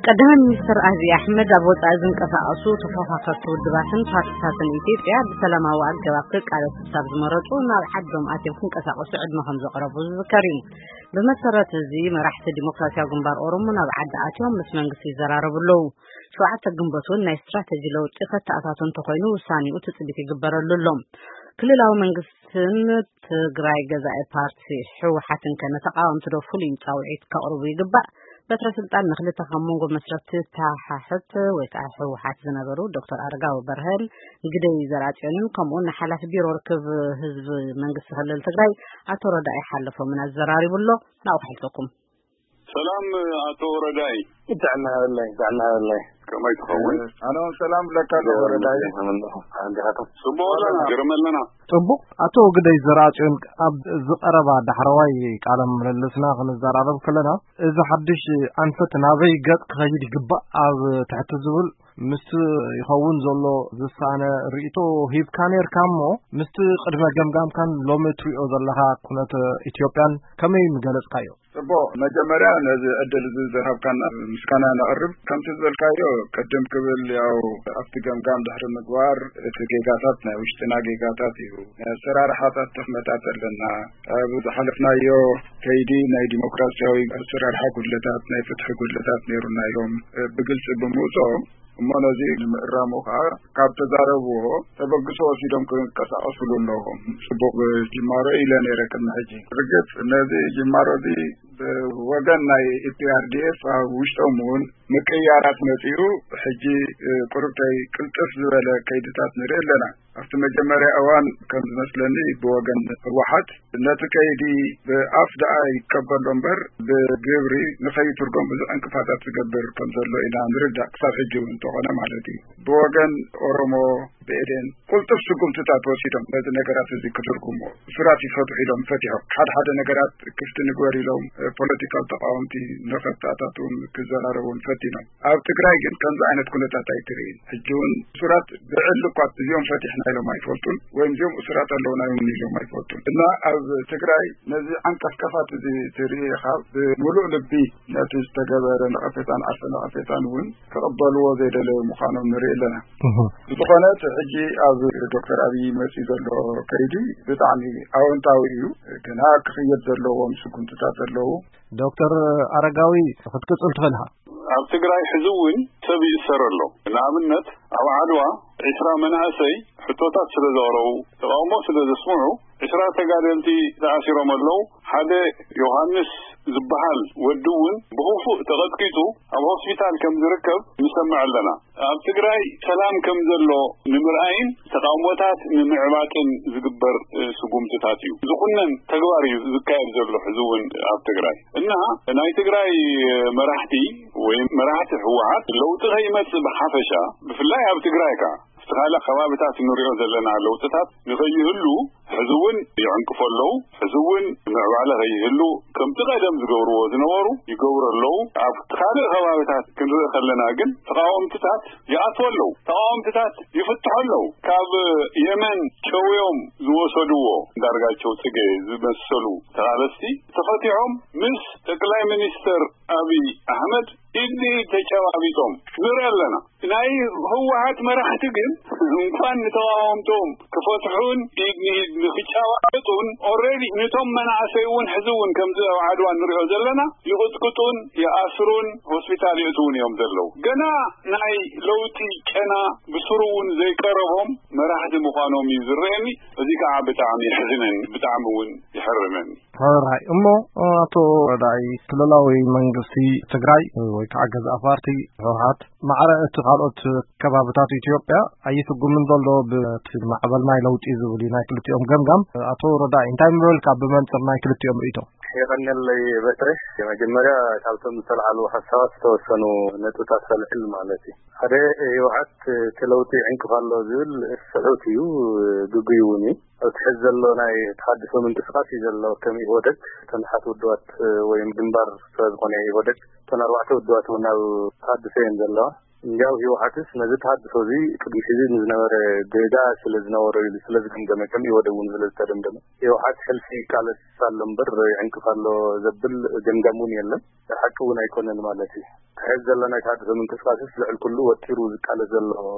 ቀዳማይ ሚኒስትር ኣብይ ኣሕመድ ኣብ ወጻኢ ዝንቀሳቐሱ ተፎኻኸርቲ ውድባትን ፓርቲታትን ኢትዮጵያ ብሰላማዊ ኣገባብ ክቃለሱ ክሳብ ዝመረጹ ናብ ዓዶም ኣትዮም ክንቀሳቐሱ ዕድመ ከም ዘቕረቡ ዝዝከር እዩ። ብመሰረት እዚ መራሕቲ ዲሞክራሲያዊ ግንባር ኦሮሞ ናብ ዓዲ ኣትዮም ምስ መንግስቲ ይዘራረቡ ኣለዉ። ሸውዓተ ግንቦት እውን ናይ ስትራተጂ ለውጢ ከተኣታቶ እንተኾይኑ ውሳኔኡ ትጽቢት ይግበረሉ ኣሎ። ክልላዊ መንግስትን ትግራይ ገዛኢ ፓርቲ ህወሓትን ከ ንተቃወምቲ ዶ ፍሉይ ጻውዒት ከቕርቡ ይግባእ? በትረ ስልጣን ንክልተ ካብ መንጎ መስረትቲ ተሓሕት ወይ ከዓ ህወሓት ዝነበሩ ዶክተር ኣረጋዊ በርሀን ግደይ ዘርኣጽዮንን ከምኡውን ንሓላፊ ቢሮ ርክብ ህዝቢ መንግስቲ ክልል ትግራይ ኣቶ ረዳኢ ሓለፎምን ኣዘራሪቡ ኣሎ። ናብኡ ክሕልፈኩም። ሰላም ኣቶ ረዳኢ። ጥዕና ይሃበለይ፣ ጥዕና ይሃበለይ። ከመይ ትኸውን? ኣነ እውን ሰላም ብለካ ኣለኹ ረዳኢ። ጽቡቕ ኣለና፣ ግርም ኣለና። ጽቡቕ። ኣቶ ግደይ ዘርኣጽዮን፣ ኣብ ዝቐረባ ዳሕረዋይ ቃለ ምልልስና ክንዘራረብ ከለና፣ እዚ ሓድሽ ኣንፈት ናበይ ገጽ ክኸይድ ይግባእ ኣብ ትሕቲ ዝብል ምስቲ ይኸውን ዘሎ ዝሳነ ርእይቶ ሂብካ ነርካ እሞ፣ ምስቲ ቅድመ ገምጋምካን ሎሚ እትሪኦ ዘለኻ ኩነተ ኢትዮጵያን ከመይ ምገለጽካዮ? ጽቡቕ፣ መጀመርያ ነዚ ዕድል እዚ ዝሃብካና ምስጋና ነቕርብ። ከምቲ ዝበልካዮ፣ ቅድም ክብል ያው ኣብቲ ገምጋም ድሕሪ ምግባር እቲ ጌጋታት ናይ ውሽጥና ጌጋታት እዩ። ናይ ኣሰራርሓታት ድኽመታት ኣለና። ኣብ ዝሓለፍናዮ ከይዲ ናይ ዲሞክራሲያዊ ኣሰራርሓ ጉድለታት፣ ናይ ፍትሒ ጉድለታት ነይሩና ኢሎም ብግልጺ ብምውፅኦም፣ እሞ ነዚ ንምእራሙ ከዓ ካብ ተዛረብዎ ተበግሶ ወሲዶም ክንቀሳቀስሉ ኣለዎም። ጽቡቅ ጅማሮ ኢለ ነይረ ቅድሚ ሕጂ። ርግጽ ነዚ ጅማሮ እዚ ብወገን ናይ ኢፒኣርዲኤፍ ኣብ ውሽጦም እውን ምቅያራት መጺኡ፣ ሕጂ ቁርብተይ ቅልጥፍ ዝበለ ከይድታት ንርኢ ኣለና። ኣብቲ መጀመርያ እዋን ከም ዝመስለኒ ብወገን ህወሓት ነቲ ከይዲ ብኣፍ ደኣ ይቀበሎ እምበር ብግብሪ ንኸይትርጎም ብዙሕ ዕንቅፋታት ዝገብር ከም ዘሎ ኢና ንርዳእ፣ ክሳብ ሕጂ እውን እንተኾነ ማለት እዩ። ብወገን ኦሮሞ ብኤዴን ቅልጡፍ ስጉምትታት ወሲዶም ነዚ ነገራት እዚ ክትርጉሞ፣ እሱራት ይፈትሑ ኢሎም ፈቲሖም፣ ሓደ ሓደ ነገራት ክፍቲ ንግበር ኢሎም ፖለቲካል ተቃወምቲ ንኸተኣታትውን ክዘራረቡን ፈቲኖም። ኣብ ትግራይ ግን ከምዚ ዓይነት ኩነታት ኣይትርእይን። ሕጂ እውን እሱራት ብዕሊ እኳ እዚኦም ፈቲሕና ኢሎም ኣይፈልጡን፣ ወይም እዚኦም እሱራት ኣለውና እውን ኢሎም ኣይፈልጡን። እና ኣብ ትግራይ ነዚ ዓንቀፍቀፋት እዚ ትርኢ ኢኻ፣ ብምሉእ ልቢ ነቲ ዝተገበረ ነቐፌታን ዓርሰ ነቐፌታን እውን ክቕበልዎ ዘይደለዩ ምዃኖም ንርኢ ኣለና። እህ። ብዝኾነ እቲ ሕጂ ኣብ ዶክተር ኣብይ መፂኡ ዘሎ ከይዲ ብጣዕሚ ኣወንታዊ እዩ። ግና ክኽየድ ዘለዎም ስጉምትታት ኣለዉ። ዶክተር ኣረጋዊ ክትቅጽል ትኽእል ኢኻ። ኣብ ትግራይ ሕዚ እውን ሰብ ይእሰር ኣሎ። ንኣብነት ኣብ ዓድዋ ዒስራ መናእሰይ ሕቶታት ስለ ዘቕረቡ፣ ተቓውሞ ስለ ዘስምዑ ዒስራ ተጋደልቲ ተኣሲሮም ኣለዉ። ሓደ ዮሃንስ ዝበሃል ወዲ እውን ብኽፉእ ተቐጥቂጡ ኣብ ሆስፒታል ከም ዝርከብ ንሰምዕ ኣለና። ኣብ ትግራይ ሰላም ከም ዘሎ ንምርኣይን ተቓውሞታት ንምዕባጥን ዝግበር፣ እ፣ ስጉምትታት እዩ። ዝኹነን ተግባር እዩ ዝካየድ ዘሎ ሕዚ እውን ኣብ ትግራይ። እና ናይ ትግራይ መራሕቲ ወይ መራሕቲ ህወሓት ለውጢ ከይመጽእ ብሓፈሻ፣ ብፍላይ ኣብ ትግራይ ከኣ፣ ኣብቲ ካልእ ከባቢታት እንሪኦ ዘለና ለውጥታት ንኸይህሉ ሕዚ እውን ይዕንቅፉ ኣለዉ። ሕዚ እውን ምዕባለ ከይህሉ ከምቲ ቀደም ዝገብርዎ ዝነበሩ ይገብሩ ኣለዉ። ኣብቲ ካልእ ከባቢታት ክንርኢ ከለና ግን ተቃወምትታት ይኣትዉ ኣለዉ። ተቃወምትታት ይፍትሑ ኣለዉ። ካብ የመን ጨውዮም ዝወሰድዎ እንዳርጋቸው ጽጌ ዝመሰሉ ተቓለስቲ ተፈቲሖም ምስ ጠቅላይ ሚኒስተር ኣብይ ኣሕመድ ኢድ ንኢድ ተጨባቢጦም ንርኢ ኣለና። ናይ ህወሓት መራሕቲ ግን እንኳን ንተቃወምቶም ክፈትሑን ኢድ ንኢድ ንክጨባበጡን፣ ኦልሬዲ ነቶም መናእሰይ እውን ሕዚ እውን ከምዚ ኣብ ዓድዋ ንሪኦ ዘለና ይቕጥቅጡን ይኣስሩን ሆስፒታል የእትዉን እዮም ዘለዉ። ገና ናይ ለውጢ ጨና ብስሩ እውን ዘይቀረቦም መራሕቲ ምዃኖም እዩ ዝረአየኒ። እዚ ከዓ ብጣዕሚ የሕዝነኒ፣ ብጣዕሚ እውን ይሕርነኒ። ሕራይ እሞ፣ ኣቶ ረዳኢ፣ ክልላዊ መንግስቲ ትግራይ ወይ ከዓ ገዛኢ ፓርቲ ህወሓት ማዕረ እቲ ካልኦት ከባብታት ኢትዮጵያ ኣይስጉምን ዘሎ ብቲ ማዕበል ናይ ለውጢ ዝብል እዩ ናይ ክልቲኦም ገምጋም። ኣቶ ረዳኢ፣ እንታይ ምበልካ ብመንፅር ናይ ክልቲኦም ርእይቶ? የቐንየለይ በትረ። መጀመርያ ካብቶም ዝተልዓሉ ሓሳባት ዝተወሰኑ ነጥብታት ከልዕል ማለት እዩ። ሓደ፣ ህወሓት እቲ ለውጢ ይዕንቅፍ ኣሎ ዝብል ስሑት እዩ፣ ግጉይ እውን እዩ። ኣብቲ ሕዚ ዘሎ ናይ ተሃድሶ ምንቅስቃስ እዩ ዘሎ። ከም ኢህወደግ እተን ሓት ውድባት ወይ ግንባር ስለ ዝኾነ ኢህወደግ እተን ኣርባዕተ ውድባት እውን ኣብ ተሃድሶ እየን ዘለዋ። እንዲያው ህወሓትስ ነዚ ተሃድሶ እዚ ቅድሚ ሕዚ ንዝነበረ ጌጋ ስለ ዝነበሮ ኢሉ ስለ ዝገምገመ፣ ከም ኢህወደግ እውን ስለ ዝተደምደመ፣ ህወሓት ሕልፊ ይቃለስ ኣሎ እምበር ይዕንቅፍ ኣሎ ዘብል ገምጋም እውን የለን። ሓቂ እውን ኣይኮነን ማለት እዩ። ትሕዚ ዘሎ ናይ ተሃድሶ ምንቅስቃስስ ልዕሊ ኩሉ ወጢሩ ዝቃለስ ዘሎ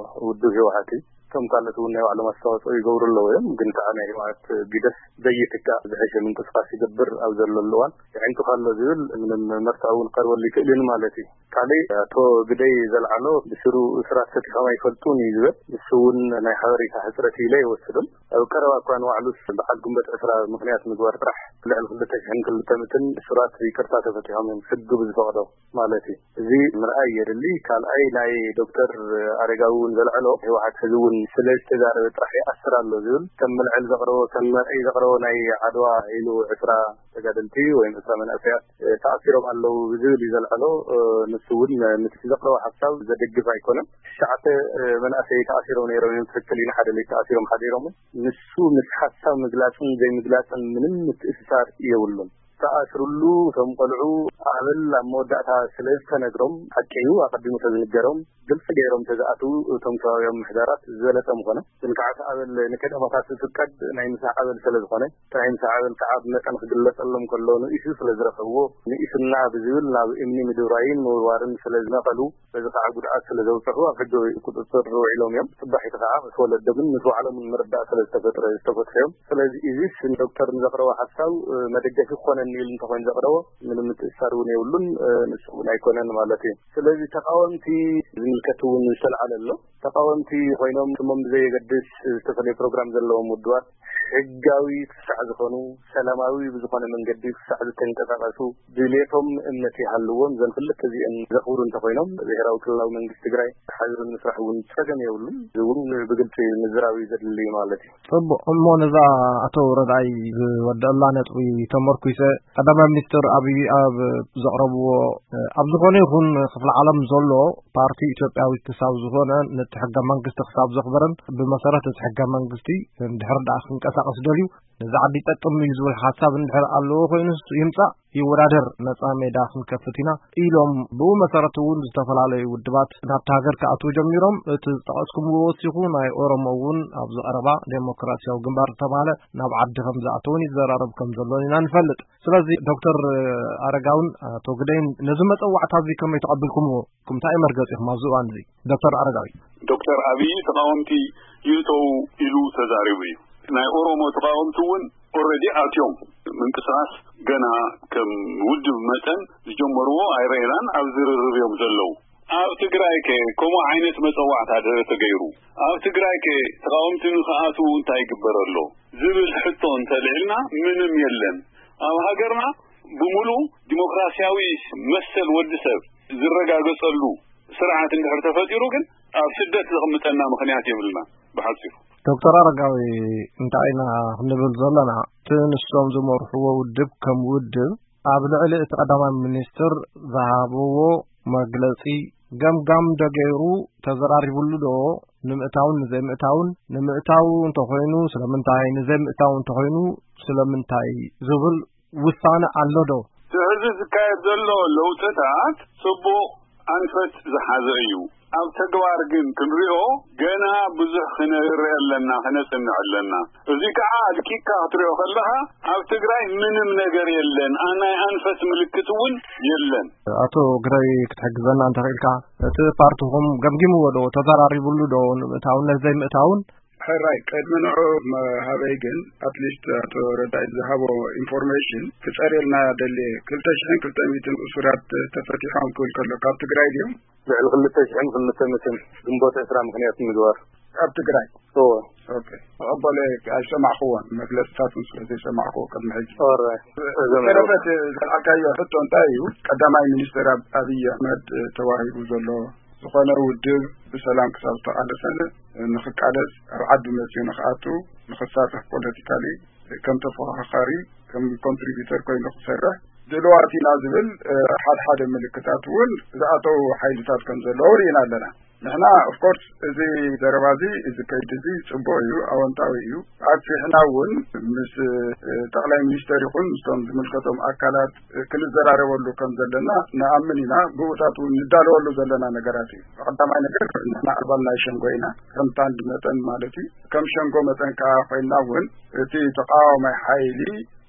ውድብ ህወሓት እዩ። እቶም ካልኦት እውን ናይ ባዕሎም ኣስተዋፅኦ ይገብሩ ኣለዉ እዮም። ግን ከዓ ናይ ህወሓት ግደፍ ዘይትካእ ዝሐሸ ምንቅስቃስ ይገብር ኣብ ዘለሉ እዋን ይዕንቅፍ ኣሎ ዝብል ምንም መርትዖ እውን ክቐርበሉ ይክእልን ማለት እዩ። ካልእ ኣቶ ግደይ ዘልዓሎ ብስሩ እሱራት ፈቲሖም ኣይፈልጡን እዩ ዝብል። ንሱ እውን ናይ ሓበሬታ ሕፅረት ኢለ ይወስዶም። ኣብ ቀረባ እኳ ንባዕሉስ በዓል ግንቦት ዕስራ ምክንያት ምግባር ጥራሕ ልዕሊ ክልተ ሽሕን ክልተ ምእትን እሱራት ይቅርታ ተፈቲሖም እዮም፣ ሕጊ ብዝፈቅዶ ማለት እዩ። እዚ ምርኣይ የድሊ። ካልኣይ ናይ ዶክተር ኣረጋዊ እውን ዘልዐሎ ህወሓት ሕዚ እውን ስለ ዝተዛረበ ጥራሕ ይኣስር ኣሎ ዝብል ከም መልዐል ዘቅረቦ ከም መርኣይ ዘቅረቦ ናይ ዓድዋ ኢሉ ዕስራ ተጋደልቲ ወይም ዕስራ መናእሰያት ተኣሲሮም ኣለዉ ዝብል እዩ ዘልዐሎ። ንሱ እውን ነቲ ዘቅረቦ ሓሳብ ዘደግፍ ኣይኮነን። ትሽዓተ መናእሰይ ተኣሲሮም ነይሮም እዮም። ትክክል እዩ። ንሓደ ሌት ተኣሲሮም ሓዲሮም። ንሱ ምስ ሓሳብ ምግላፅን ዘይምግላፅን ምንም ምትእስሳር የብሉን። ተኣስርሉ እቶም ቆልዑ ኣበል ኣብ መወዳእታ ስለ ዝተነግሮም፣ ሓቂ እዩ ኣቐዲሙ ተዝንገሮም ግልፂ ገይሮም ተዝኣትዉ እቶም ከባቢያዊ ምሕዳራት ዝበለፀ ምኾነ። ግን ከዓ እቲ ኣበል ንከዳማታት ዝፍቀድ ናይ ምሳሕ ኣበል ስለ ዝኾነ፣ እቲ ናይ ምሳሕ ኣበል ከዓ ብመጠን ክግለፀሎም ከሎ ንኢሱ ስለ ዝረኸብዎ፣ ንኢሱና ብዝብል ናብ እምኒ ምድብራይን ምውርዋርን ስለ ዝነቐሉ፣ በዚ ከዓ ጉድኣት ስለ ዘብፅሑ ኣብ ሕጊ ቁፅፅር ውዒሎም እዮም። ፅባሒቲ ከዓ ምስ ወለዶምን ምስ ባዕሎምን ምርዳእ ስለ ዝተፈጥረ ዝተፈትሑ እዮም። ስለዚ እዚስ ንዶክተር ንዘቕረቦ ሓሳብ መደገፊ ክኾነኒ ኢሉ እንተኾይኑ ዘቕረቦ ምንም ምትእስሳር እውን የብሉን። ንሱ እውን ኣይኮነን ማለት እዩ። ስለዚ ተቃወምቲ ዝምልከት እውን ዝተልዓለ ኣሎ። ተቃወምቲ ኮይኖም ስሞም ብዘየገድስ ዝተፈለየ ፕሮግራም ዘለዎም ውድባት ሕጋዊ ክሳዕ ዝኾኑ፣ ሰላማዊ ብዝኾነ መንገዲ ክሳዕ ዝተንቀሳቀሱ፣ ድሌቶም እምነት ይሃልዎም፣ እዘን ክልተ እዚአን ዘኽብሩ እንተኾይኖም፣ ብሄራዊ ክልላዊ መንግስቲ ትግራይ ሓቢሩ ንምስራሕ እውን ጸገም የብሉን። እዚ እውን ብግልጺ ምዝራብ እዩ ዘድሊ ማለት እዩ። ጽቡቕ። እሞ ነዛ ኣቶ ረድኣይ ዝወደአላ ነጥቢ ተመርኩሰ፣ ቀዳማይ ሚኒስትር ኣብይ ኣብ ዘቕረብዎ፣ ኣብ ዝኾነ ይኹን ክፍለ ዓለም ዘሎ ፓርቲ ኢትዮጵያዊ ክሳብ ዝኾነ፣ ነቲ ሕገ መንግስቲ ክሳብ ዘኽበረን ብመሰረት እቲ ሕገ መንግስቲ እንድሕር ደኣ ክንቀሳቐስ ደልዩ፣ ነዚ ዓዲ ይጠቅም እዩ ዝብል ሓሳብ እንድሕር ኣለዎ ኮይኑስ ይምጻእ፣ ይወዳደር፣ ነጻ ሜዳ ክንከፍት ኢና ኢሎም፣ ብኡ መሰረት እውን ዝተፈላለዩ ውድባት ናብቲ ሃገር ክኣትዉ ጀሚሮም። እቲ ዝጠቐስኩምዎ ወሲኹ ናይ ኦሮሞ እውን ኣብዚ ቀረባ ዴሞክራሲያዊ ግንባር ዝተባህለ ናብ ዓዲ ከም ዝኣተውን ይዘራረብ ከም ዘሎን ኢና ንፈልጥ። ስለዚ ዶክተር ኣረጋውን ኣቶ ግደይን ነዚ መጸዋዕታ እዚ ከመይ ተቐቢልኩምዎ? እንታይ እዩ መርገጺኹም ኣብዚ እዋን እዚ? ዶክተር ኣረጋዊ። ዶክተር ኣብይ ተቃወምቲ ይእተው ኢሉ ተዛሪቡ እዩ። ናይ ኦሮሞ ተቃወምቲ እውን ኦልሬዲ ኣትዮም ምንቅስቃስ ገና ከም ውድብ መጠን ዝጀመርዎ ኣይረኤናን፣ ኣብ ዝርርብ እዮም ዘለዉ። ኣብ ትግራይ ከ ከምኡ ዓይነት መጸዋዕታ ድሕሪ ተገይሩ፣ ኣብ ትግራይ ከ ተቃወምቲ ንክኣትዉ እንታይ ይግበር ኣሎ ዝብል ሕቶ እንተልዕልና ምንም የለን። ኣብ ሃገርና ብምሉእ ዲሞክራሲያዊ መሰል ወዲ ሰብ ዝረጋገጸሉ ስርዓት እንድሕር ተፈጢሩ ግን ኣብ ስደት ዘቕምጠና ምኽንያት የብልና። ብሓጺሩ። ዶክተር ኣረጋዊ፣ እንታይ ኢና ክንብል ዘለና? እቲ ንሶም ዝመርሕዎ ውድብ ከም ውድብ ኣብ ልዕሊ እቲ ቀዳማይ ሚኒስትር ዝሃብዎ መግለጺ ገምጋም ዶ ገይሩ፣ ተዘራሪቡሉ ዶ? ንምእታውን ንዘይምእታውን፣ ንምእታው እንተኾይኑ ስለምንታይ፣ ንዘይምእታው እንተኾይኑ ስለምንታይ ዝብል ውሳነ ኣሎ ዶ? እቲ ሕዚ ዝካየድ ዘሎ ለውጥታት ጽቡቕ ኣንፈት ዝሓዘ እዩ። ኣብ ተግባር ግን ክንሪኦ ገና ብዙሕ ክነርኢ ኣለና፣ ክነጽንዕ ኣለና። እዚ ከዓ ኣድቂቅካ ክትሪኦ ከለኻ ኣብ ትግራይ ምንም ነገር የለን። ኣ-፣ ናይ ኣንፈት ምልክት እውን የለን። ኣቶ ግደይ ክትሕግዘና እንተኽኢልካ፣ እቲ ፓርቲኹም ገምጊምዎ ዶ? ተዘራሪቡሉ ዶ? ንምእታውን ዘይምእታውን? ሕራይ፣ ቅድሚ ንዑ መሃበይ ግን፣ ኣትሊስት ኣቶ ረዳይ ዝሃቦ ኢንፎርሜሽን ክጸርየልና ደልየ። ክልተ ሽሕን ክልተ ሚእትን እሱራት ተፈቲሖም ክብል ከሎ፣ ካብ ትግራይ ድዮም? ልዕሊ ክልተ ሽሕን ክልተ ሚእትን ግንቦት ዕስራ ምኽንያት ምግባር። ካብ ትግራይ? እወ። ኦኬ። ተቐበለ ኣይሰማዕክዎን፣ መግለጽታቱን ስለ ዘይሰማዕክዎ ቅድሚ ሕጂ። ኦራይት። እዞም ተረፈ፣ እቲ ዘልዓልካዮ ሕቶ እንታይ እዩ? ቀዳማይ ሚኒስትር ኣብ-፣ ኣብይ ኣሕመድ ተዋሂቡ ዘሎ ዝኾነ ውድብ ብሰላም ክሳብ ዝተቓለሰ ንኽቃለስ፣ ኣብ ዓዲ መፅዩ ንኽኣቱ፣ ንኽሳተፍ ፖለቲካሊ ከም ተፎኻኻሪ፣ ከም ኮንትሪቢተር ኮይኑ ክሰርሕ ድልዋት ኢና ዝብል፣ እ፣ ሓደ ሓደ ምልክታት እውን ዝኣተው ሓይልታት ከም ዘለዉ ርኢና ኣለና። ንሕና ኦፍኮርስ እዚ ዘረባ እዚ፣ እዚ ከይዲ እዚ ጽቡቕ እዩ፣ ኣወንታዊ እዩ። ኣብፂሕና እውን ምስ ጠቕላይ ሚኒስተር ይኹን ምስቶም ዝምልከቶም ኣካላት ክንዘራረበሉ ከም ዘለና ንኣምን ኢና። ብኡታት እውን ንዳለወሉ ዘለና ነገራት እዩ። ቀዳማይ ነገር ንሕና ኣባል ናይ ሸንጎ ኢና፣ ከም ታንድ መጠን ማለት እዩ። ከም ሸንጎ መጠን ከዓ ኮይንና እውን እቲ ተቃዋማይ ሓይሊ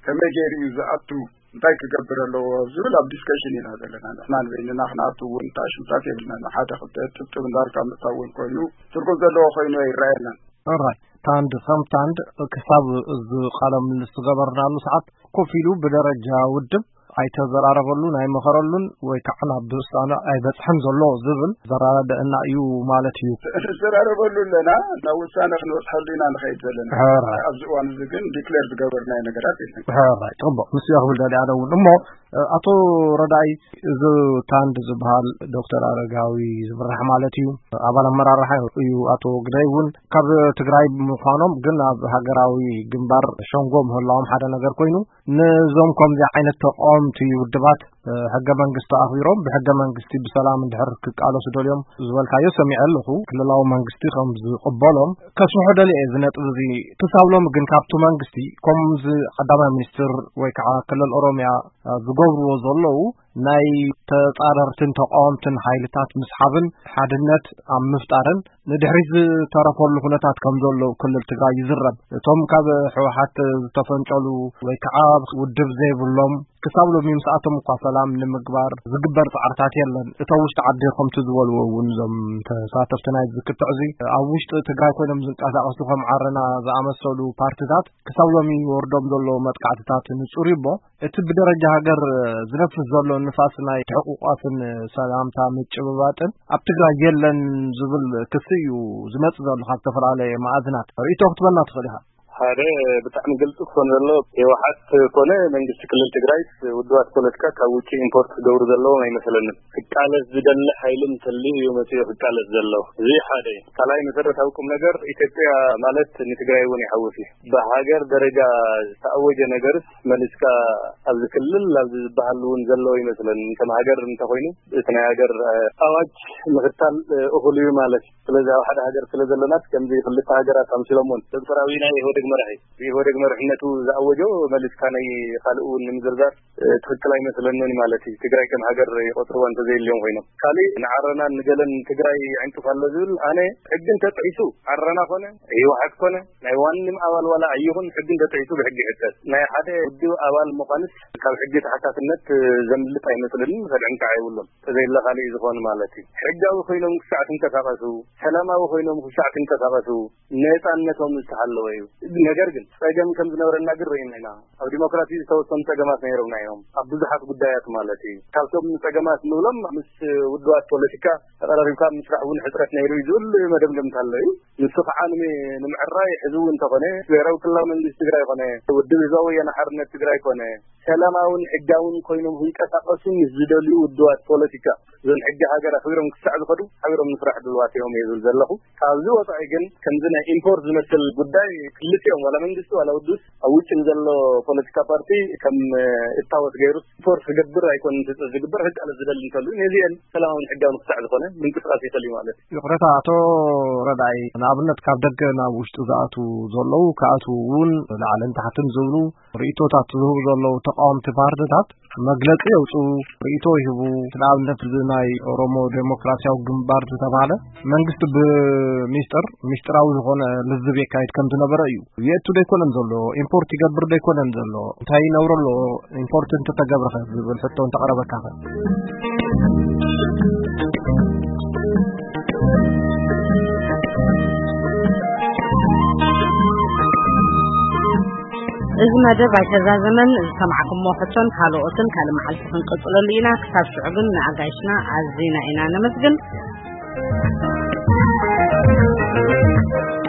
ከመይ ገይሩ እዩ ዝኣቱ፣ እንታይ ክገብር ኣለዎ ዝብል ኣብ ዲስከሽን ኢና ዘለና። ንሕና ንበይንና ክንኣቱ እውን ተኣሽምታት የብልና። ንሓደ ክልተ ጥብጥብ እንዳልካ ምእታው እውን ኮይኑ ትርጉም ዘለዎ ኮይኑ ኣይረኣየናን። ኦራይት፣ ታንድ ከም ታንድ ክሳብ እዚ ቃለ ምልልስ ዝገበርናሉ ሰዓት ኮፍ ኢሉ ብደረጃ ውድብ ኣይተዘራረበሉን ኣይመኸረሉን ወይ ከዓ ናብ ውሳነ ኣይበፅሐን ዘሎ ዝብል ዘረዳድኣና እዩ ማለት እዩ። ንዘራረበሉ ኣለና፣ ናብ ውሳነ ክንበፅሐሉ ኢና ንኸይድ ዘለና። ሕራይ። ኣብዚ እዋን እዚ ግን ዲክሌር ዝገበርናዮ ነገራት የለን። ሕራይ፣ ፅቡቕ። ንሱ እየ ክብል ደልየ ኣነ እውን። እሞ፣ ኣቶ ረዳኢ፣ እዚ ታንድ ዝበሃል ዶክተር ኣረጋዊ ዝምራሕ ማለት እዩ፣ ኣባል ኣመራርሓ እዩ። ኣቶ ግደይ እውን ካብ ትግራይ ምዃኖም ግን ኣብ ሃገራዊ ግንባር ሸንጎ ምህላዎም ሓደ ነገር ኮይኑ፣ ነዞም ከምዚ ዓይነት ተቃወምቲ ውድባት፣ እ፣ ሕገ መንግስቲ ኣኽቢሮም ብሕገ መንግስቲ ብሰላም እንድሕር ክቃለሱ ደልዮም ዝበልካዮ ሰሚዐ ኣለኹ። ክልላዊ መንግስቲ ከም ዝቕበሎም ከስምሖ ደልየ እዚ ነጥቢ እዚ። ክሳብ ሎሚ ግን ካብቲ መንግስቲ ከምዚ ቀዳማይ ሚኒስትር ወይ ከዓ ክልል ኦሮሚያ፣ እ፣ ዝገብርዎ ዘለዉ ናይ ተጻረርትን ተቃወምትን ሓይልታት ምስሓብን ሓድነት ኣብ ምፍጣርን ንድሕሪት ዝተረፈሉ ኩነታት ከም ዘሎ ክልል ትግራይ ይዝረብ። እቶም ካብ ህወሓት ዝተፈንጨሉ ወይ ከዓ ውድብ ዘይብሎም ክሳብ ሎሚ ምስኣቶም እኳ ሰላም ንምግባር ዝግበር ጻዕርታት የለን። እቶም ውሽጢ ዓዲ ከምቲ ዝበልዎ እውን እዞም ተሳተፍቲ ናይ ዝክትዕ እዚ ኣብ ውሽጢ ትግራይ ኮይኖም ዝንቀሳቐሱ ከም ዓረና ዝኣመሰሉ ፓርትታት ክሳብ ሎሚ ወርዶም ዘሎ መጥቃዕትታት ንጹር እዩ እሞ እቲ ብደረጃ ሃገር ዝነፍስ ዘሎ ንፋስ ናይ ትሕቁቋፍን ሰላምታ ምጭብባጥን ኣብ ትግራይ የለን ዝብል ክሲ እዩ ዝመጽእ ዘሎ ካብ ዝተፈላለየ መኣዝናት። ርእይቶ ክትበና ትኽእል ኢኻ። ሓደ ብጣዕሚ ግልፂ ክኾን ዘሎ ህወሓት ኮነ መንግስቲ ክልል ትግራይ ውድባት ፖለቲካ ካብ ውጭ ኢምፖርት ክገብሩ ዘለዎም ኣይመስለንን። ክቃለስ ዝደሊ ሓይሊ እንተልዩ እዩ መፅኡ ክቃለስ ዘሎ። እዚ ሓደ እዩ። ካልኣይ መሰረታዊ ቁም ነገር ኢትዮጵያ ማለት ንትግራይ እውን ይሓውስ እዩ። ብሃገር ደረጃ ዝተኣወጀ ነገርስ መሊስካ ኣብዚ ክልል ኣብዚ ዝበሃል እውን ዘሎ ይመስለኒ። ከም ሃገር እንተኾይኑ እቲ ናይ ሃገር፣ እ፣ ኣዋጅ ምኽታል፣ እ፣ እኹል እዩ ማለት እዩ። ስለዚ ኣብ ሓደ ሃገር ስለ ዘለናስ ከምዚ ክልተ ሃገራት ኣምሲሎምዎን ዶክተር ኣብይ ናይ ኢህወደግ መራሒ ብኢህወደግ መርሕነቱ ዝኣወጆ መሊስካ ናይ ካልእ እውን ንምዝርዛር፣ እ፣ ትኽክል ኣይመስለንን ማለት እዩ። ትግራይ ከም ሃገር ይቆፅርዋ እንተዘይልዮም ኮይኖም። ካሊእ ንዓረናን ንገለን ትግራይ ይዕንቅፍ ኣሎ ዝብል ኣነ ሕጊ እንተጥሒሱ ዓረና ኮነ ህወሓት ኮነ ናይ ዋንም ኣባል ዋላ ኣይኹን ሕጊ እንተጥሒሱ ብሕጊ ይሕተት። ናይ ሓደ ውድብ ኣባል ምዃንስ ካብ ሕጊ ተሓታትነት ዘምልጥ ኣይመስለንን፣ ከድዕን ከዓ የብሉን። ተዘይለ ካሊእ ዝኾን ማለት እዩ። ሕጋዊ ኮይኖም ክሳዕ ትንቀሳቐሱ፣ ሰላማዊ ኮይኖም ክሳዕ ትንቀሳቐሱ ነፃነቶም ዝተሓለወ እዩ። ነገር ግን ፀገም ከም ዝነበረና ግን ርኢና ኢና። ኣብ ዲሞክራሲ ዝተወሰኑ ፀገማት ነይሮምና እዮም ኣብ ብዙሓት ጉዳያት ማለት እዩ። ካብቶም ፀገማት ንብሎም ምስ ውድባት ፖለቲካ ተቐራሪብካ ምስራሕ እውን ሕፅረት ነይሩ እዩ ዝብል መደምደምታ ኣሎ እዩ። ንሱ ከዓ ንሚ-፣ ንምዕራይ ሕዚ እውን እንተኾነ ብሄራዊ ክልላዊ መንግስቲ ትግራይ ኮነ ውድብ ህዝባዊ ወያነ ሓርነት ትግራይ ኮነ ሰላማውን ሕጋውን ኮይኖም ክንቀሳቐሱ ምስ ዝደልዩ ውድባት ፖለቲካ እዞን ሕጊ ሃገር ኣኽቢሮም ክሳዕ ዝኸዱ ሓቢሮም ንስራሕ ድልዋት እዮም እየ ዝብል ዘለኹ። ካብዚ ወፃኢ ግን ከምዚ ናይ ኢምፖርት ዝመስል ጉዳይ ክልቲኦም ዋላ መንግስቲ ዋላ ውድብ ኣብ ውጭ ንዘሎ ፖለቲካ ፓርቲ ከም እታወት ገይሩ ኢምፖርት ክገብር ኣይኮንን ትፅቢት ዝግበር። ክቃለስ ዝደሊ እንተሉ ነዚአን ሰላማውን ሕጋውን ክሳዕ ዝኾነ ምንቅስቃስ ይኽእል እዩ ማለት እዩ። ይቕረታ ኣቶ ረዳኢ፣ ንኣብነት ካብ ደገ ናብ ውሽጢ ዝኣትዉ ዘለዉ ክኣትዉ እውን ላዕልን ታሕትን ዝብሉ ርእይቶታት ዝህቡ ዘለዉ ተቃወምቲ ፓርትታት መግለጺ የውፅኡ፣ ርእይቶ ይህቡ። ንኣብነት እዚ ናይ ኦሮሞ ዴሞክራሲያዊ ግንባር ዝተባህለ መንግስቲ ብሚስጥር፣ ሚስጥራዊ ዝኾነ ልዝብ የካይድ ከም ዝነበረ እዩ። የእቱ ዶ ኣይኮነን ዘሎ? ኢምፖርት ይገብር ዶ ኣይኮነን ዘሎ? እንታይ ይነብሮ ኣሎ? ኢምፖርት እንተተገብረኸ ዝብል ሕቶ እንተቐረበካኸ? እዚ መደብ ኣይተዛዘመን። ዝሰማዕኩሞ ሕቶን ካልኦትን ካልእ መዓልቲ ክንቅጽለሉ ኢና። ክሳብ ሽዑ ግን ንኣጋይሽና ኣዚና ኢና ነመስግን።